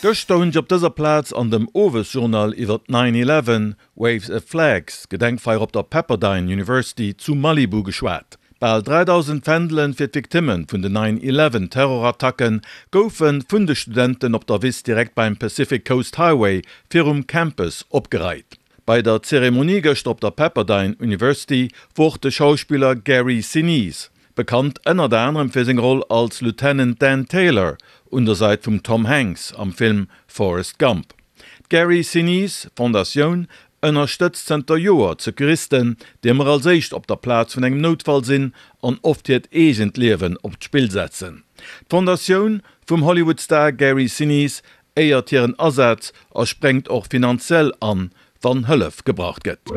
Gëschter hunn ech op dëser Plaz an dem Owesjournal iwwer d'Nine Eleven Waves a Flags Gedenkfeier op der Pepperdine University zu Malibu geschwat. Bal 3.000 Fändelen fir d'Victimme vun den Nine Eleven Terrorattacke goufe vun de Studenten op der Wiss direkt beim Pacific Coast Highway virum Campus opgereit. Bei der Zeremonie gëschter op der Pepperdine University wor och de Schauspiller Gary Sinise, bekannt ënnert anerem fir seng Roll als Lieutenant Dan Taylor un der Sait vum Tom Hanks am Film Forrest Gump. D'Gary Sinise Fondatioun ënnerstëtzt zënter Joer d'Secouristen, déi ëmmer als éischt op der Plaz vun engem Noutfall sinn an oft hiert eegent Liewen op d'Spill setzen. D'Fondatioun vum Hollywood-Star Gary Sinise éiert hiren Asaz a spréngt och finanziell an, wann Hëllef gebraucht gëtt.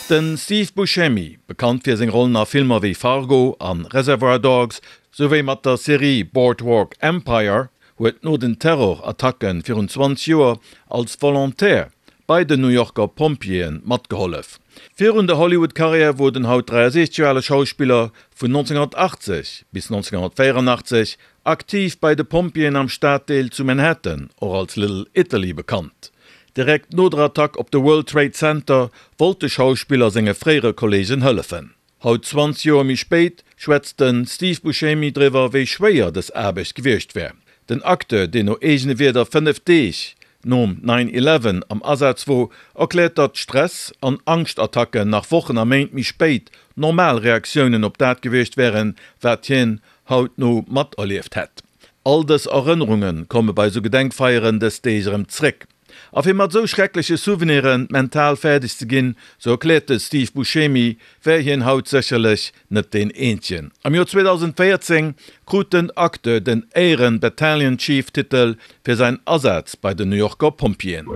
De Steve Buscemi, bekannt fir seng Rollen a Filmer wéi Fargo an Reservoir Dogs, souwéi mat der Serie Boardwalk Empire, huet no den Terrorattacke virun 20 Joer als Volontaire bei den New Yorker Pompjeeë matgehollef. Virun der Hollywood-Karriär wor den haut 63 Joer ale Schauspiller vun 1980 bis 1984 aktiv bei de Pompjeeën am Staddeel zu Manhattan, och als Little Italy bekannt. Direkt no der Attack op de World Trade Center wollt de Schauspiller senge fréiere Kolleegen hëllefen. Haut 20 Joer méi spéit schwätzt de Steve Buscemi driwwer wéi schwéier dës Aarbecht gewiescht wär. Den Acteur, deen no eegene Wierder 5 Deeg nom Nine Eleven am Asaz wor, erkläert datt Stress an Angschtattacken nach Wochen a Méint méi spéit normal Reaktiounen op dat gewiescht wären, wat hien hautno materlieft hätt. All dës Erënnerunge komme bei sou Gedenkfeieren dës Deeg erëm zréck. A fir mat esou schreckleche Souvenire mental fäerdeg ze ginn, sou erkläert de Steve Buscemi, wär hien haut sécherlech net deen eenzegen. Am Joer 2014 krut den Acteur den Éieren Battalion Chief Titel fir säin Asaz bei den New Yorker Pompjeeën.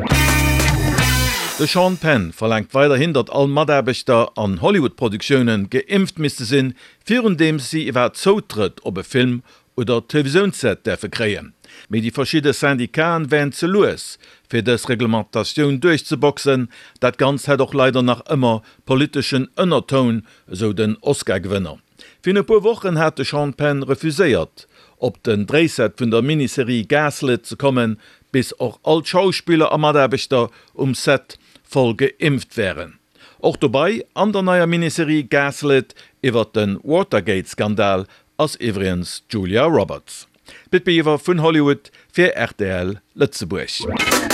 De Sean Penn verlaangt weiderhin, datt all Mataarbechter an Hollywood-Produktioune geimpft misste sinn, virundeems si iwwerhaapt Zoutrëtt op e Film oder Televisiounsset däerfe kréien. Mee déi verschidde Syndicaten wären ze lues, fir dës Reglementatioun duerchzeboxen. Dat Ganzt hätt och leider nach ëmmer politeschen Ënnertoun, esou den Oscar-Gewënner. Virun e puer Wochen hat de Sean Penn refuséiert, op den Dréiset vun der Miniserie Gaslit ze kommen, bis och all d'Schauspiller a Mataarbechter um Set voll geimpft wären. Och dobei an der neier Miniserie Gaslit iwwert de Watergate-Skandal ass iwwregens d'Julia Roberts. D'Pit Biwer vun Hollywood fir rtl Lëtzebuerg.